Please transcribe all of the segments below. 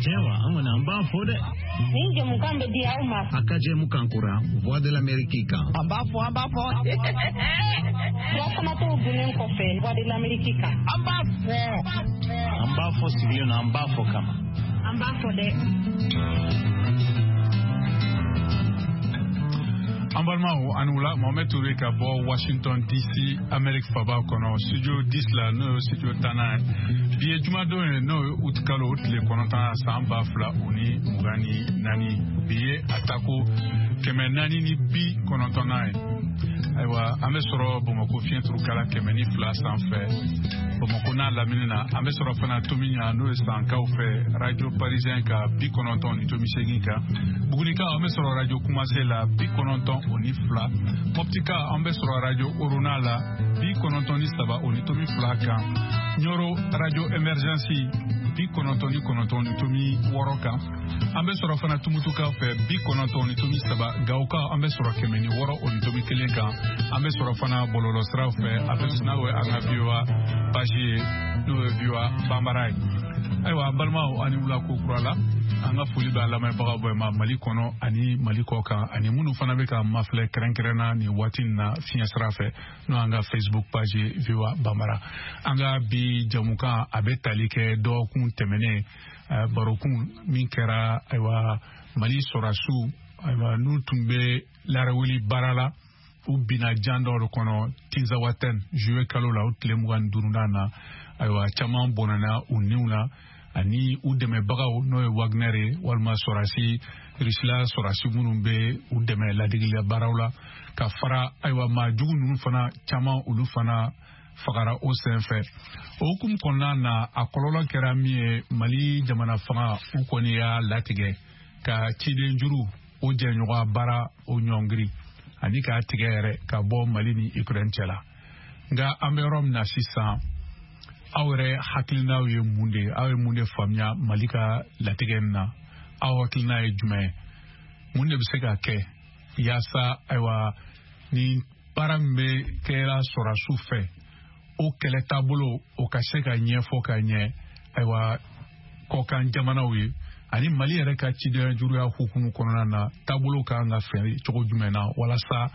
Tiɲɛ wa, an kɔni an b'a fɔ dɛ. Nin jɛmukan bɛ di aw ma. A ka jɛmukan kura Voix de l'Amérique kan. An b'a fɔ, an b'a fɔ. Furafanatɔw dunnen kɔfɛ Voix de l'Amérique kan. An b'a fɔ. An b'a fɔ sigilen na, an b'a fɔ kama. An b'a fɔ dɛ. An balimaw, ani wula. Mohamed Touré ka bɔ Washington DC, Amérique faba kɔnɔ, studio 10 la, n'o ye studio 10nan ye. Bi ye jumadon ye, n'o ye uti kalo o tile 9, san 2024. Bi ye a tako 490nan ye. Ayiwa, an bɛ sɔrɔ Bamakɔ fiɲɛturukala 102 sanfɛ, Bamakɔ n'a lamini na. An bɛ sɔrɔ fana Tomiɲa, n'o ye Sankaw fɛ, Radio Parisien ka 90.8 kan. Bugunikaw, an bɛ sɔrɔ Radio Kumase la, 92. Mɔptika, an bɛ sɔrɔ Radio Orona la, 93.2 kan. Ɲɔrɔ, Radio Emergence, 99.6 kan. An bɛ sɔrɔ fana Tumutukaw fɛ, 90.3. Gawokaw, an bɛ sɔrɔ 106.1 kan. An bɛ sɔrɔ fana bɔlɔlɔsiraw fɛ, a bɛ n'o ye an ka VOA page ye, n'o ye VOA Banbara ye. Ayiwa, an balimaw, ani wula ko kura la. An ka foli b'a lamɛnbagaw bɛɛ ma, Mali kɔnɔ ani Mali kɔ kan, ani minnu fana bɛ ka mafilɛ kɛrɛnkɛrɛnna nin waati in na fiɲɛ sira fɛ, n'o y'an ka Facebook page ye, VOA Banbara. An ka bi jamukan, a bɛ tali kɛ dɔgɔkun tɛmɛnen barokun min kɛra, ayiwa, Mali sɔrɔdasiw, ayiwa, n'u tun bɛ larawuli baara la, u binna jan dɔw de kɔnɔ Tinzawatɛn, juillet kalo la, o tile 25nan na. Ayiwa, caman bɔnɛna u niw na, ani u dɛmɛbagaw, n'o ye Wagner ye, walima sɔrɔdasi, Rusila sɔrɔdasi minnu bɛ u dɛmɛ ladigiliya baaraw la, ka fara, ayiwa, maa jugu ninnu fana caman, olu fana fagara o senfɛ. O hukumu kɔnɔna na, a kɔlɔlɔ kɛra min ye, Mali jamana fanga, u kɔni y'a latigɛ ka ciden juru o jɛɲɔgɔn baara o ɲɔngiri, ani k'a tigɛ yɛrɛ ka bɔ Mali ni Ukraine cɛ la. Nka an bɛ yɔrɔ min na sisan, aw yɛrɛ hakilinaw ye mun de ye? Aw ye mun de faamuya Mali ka latigɛ in na? Aw hakilina ye jumɛn ye? Mun de bɛ se ka kɛ yaasa, ayiwa, ni baara min bɛ kɛra sɔrɔdasiw fɛ, o kɛlɛ taabolo o ka se ka ɲɛfɔ ka ɲɛ, ayiwa, kɔkan jamanaw ye, ani Mali yɛrɛ ka cidenya juruya hukumu kɔnɔna na, taabolo ka kan ka fɛn cogo jumɛn na, walasa,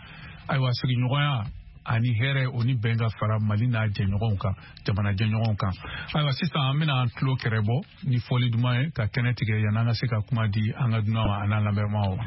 ayiwa, sigiɲɔgɔnya ani hɛrɛ o ni bɛn ka fara Mali n'a jɛɲɔgɔnw kan, jamana jɛɲɔgɔnw kan? Ayiwa, sisan an bɛna an tulo kɛrɛ bɔ ni fɔli duman ye ka kɛnɛ tigɛ, yanni an ka se ka kuma di an ka dunan ma an'an lamɛnbagaw ma.